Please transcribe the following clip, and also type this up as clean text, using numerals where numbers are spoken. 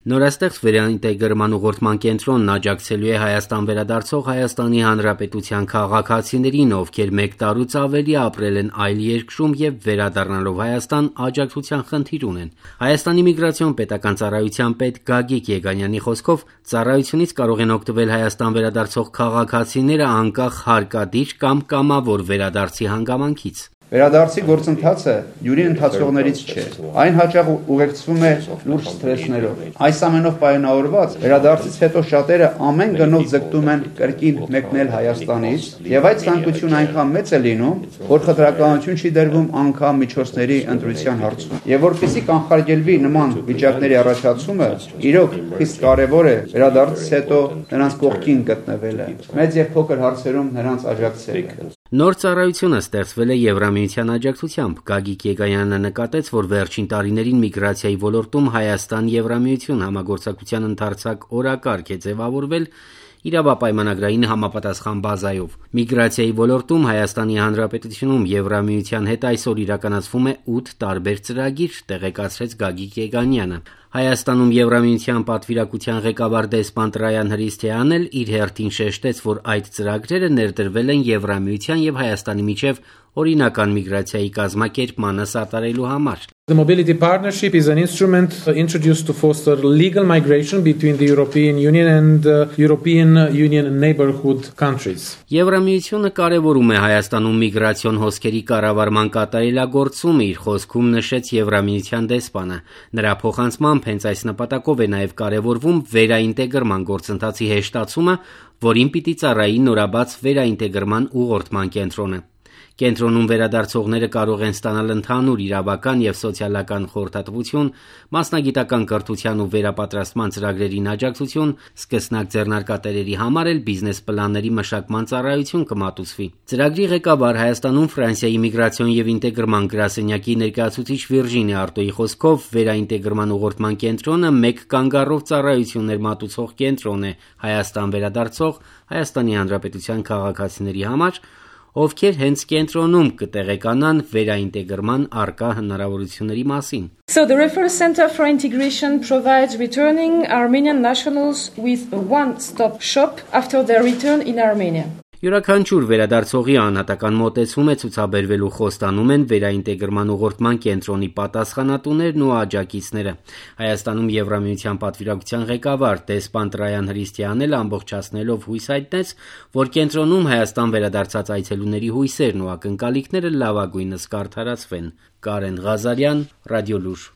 Նորաստեղծ վերաինտեգրման ուղղորդման կենտրոնն աջակցելու է Հայաստան վերադարձող Հայաստանի Հանրապետության քաղաքացիներին, ովքեր 1 տարուց ավելի ապրել են այլ երկրում եւ վերադառնալով Հայաստան աջակցության խնդիր ունեն։ Հայաստանի միգրացիոն պետական ծառայության պետ Գագիկ Եգանյանի խոսքով ծառայությունից կարող են օգտվել Հայաստան վերադարձող քաղաքացիները անկախ հարկադիր կամ կամավոր վերադարձի հանգամանքից։ Վերադարձի գործընթացը յուրի ընթացողներից չէ։ Այն հաճախ ուղեկցվում է լուրջ սթրեսներով։ Այս ամենով պայմանավորված վերադարձից հետո շատերը ամեն գնով ձգտում են կրկին մեկնել Հայաստանից, եւ այդ ցանկությունը այնքան մեծ է լինում, որ խտրականություն չի դրվում անգամ միջոցների ընտրության հարցում։ Եվ որպեսզի կանխարգելվի նման վիճակների առաջացումը, իրոք խիստ կարևոր է վերադարձից հետո նրանց կողքին գտնվելը, մեծ եւ փոքր հարցերում նրանց աջակցելը։ Նոր ծառայությունը ստեղծվել է Եվրամիության աջակցությամբ։ Գագիկ Եգանյանը նկատեց, որ վերջին տարիներին միգրացիայի ոլորտում Հայաստան-Եվրամիություն համագործակցության ընդարձակ օրակարգ է ձևավորվել իրավապայմանագրային համապատասխան բազայով։ Միգրացիայի ոլորտում Հայաստանի Հանրապետությունում Եվրամիության հետ այսօր իրականացվում է 8 տարբեր ծրագիր, տեղեկացրեց Գագիկ Եգանյանը։ Հայաստանում Եվրամիության պատվիրակության ղեկավար դեսպան Տրայան Հրիսթյանն էլ իր հերթին շեշտեց, որ այդ ծրագրերը ներդրվել են Եվրամիության եւ Հայաստանի միջև օրինական միգրացիայի կազմակերպմանը սատարելու համար։ The Mobility Partnership is an instrument introduced to foster legal migration between the European Union and European Union neighborhood countries. Եվրամիությունը կարևորում է Հայաստանում միգրացիոն հոսքերի կառավարման կատարելագործումը, իր խոսքում նշեց Եվրամիության դեսպանը։ Նրա փոխանցմամբ հենց այս նպատակով է նաև կարևորվում վերաինտեգրման գործընթացի հեշտացումը, որին պիտի ծառայի նորաբաց վերաինտեգրման ուղղորդման կենտրոնը։ Կենտրոնում վերադարձողները կարող են ստանալ ընդհանուր իրավական եւ սոցիալական խորհրդատվություն, մասնագիտական կրթության ու վերապատրաստման ծրագրերին աջակցություն, սկսնակ ձեռնարկատերերի համար էլ բիզնես պլանների մշակման ծառայություն կմատուցվի։ Ծրագրի ղեկավար Հայաստանում Ֆրանսիայի միգրացիոն եւ ինտեգրման գրասենյակի ներկայացուցիչ Վիրջինի Արտոյի խոսքով վերաինտեգրման ուղղորդման կենտրոնը 1 կանգառով ծառայություններ մատուցող կենտրոն է Հայաստան վերադարձող Հայաստանի Հանրապետության քաղաքացիների համար, ովքեր հենց կենտրոնում կտեղեկանան վերաինտեգրման առկա հնարավորությունների մասին։ So the Referral Center for Integration provides returning Armenian nationals with a one-stop shop after their return in Armenia. Յուրաքանչյուր վերադարձողի անհատական մոտեցում է ցուցաբերվելու խոստանում են վերաինտեգրման ուղղորդման կենտրոնի պատասխանատուներն ու աջակիցները։ Հայաստանում Եվրամիության պատվիրակության ղեկավար դեսպան Տրայան Հրիսթյանն էլ ամբողջացնելով հույս հայտնեց, որ կենտրոնում Հայաստան վերադարձած այցելուների հույսերն ու ակնկալիքները լավագույնս կարդարացվեն։ Կարեն Ղազարյան, Ռադիոլուր։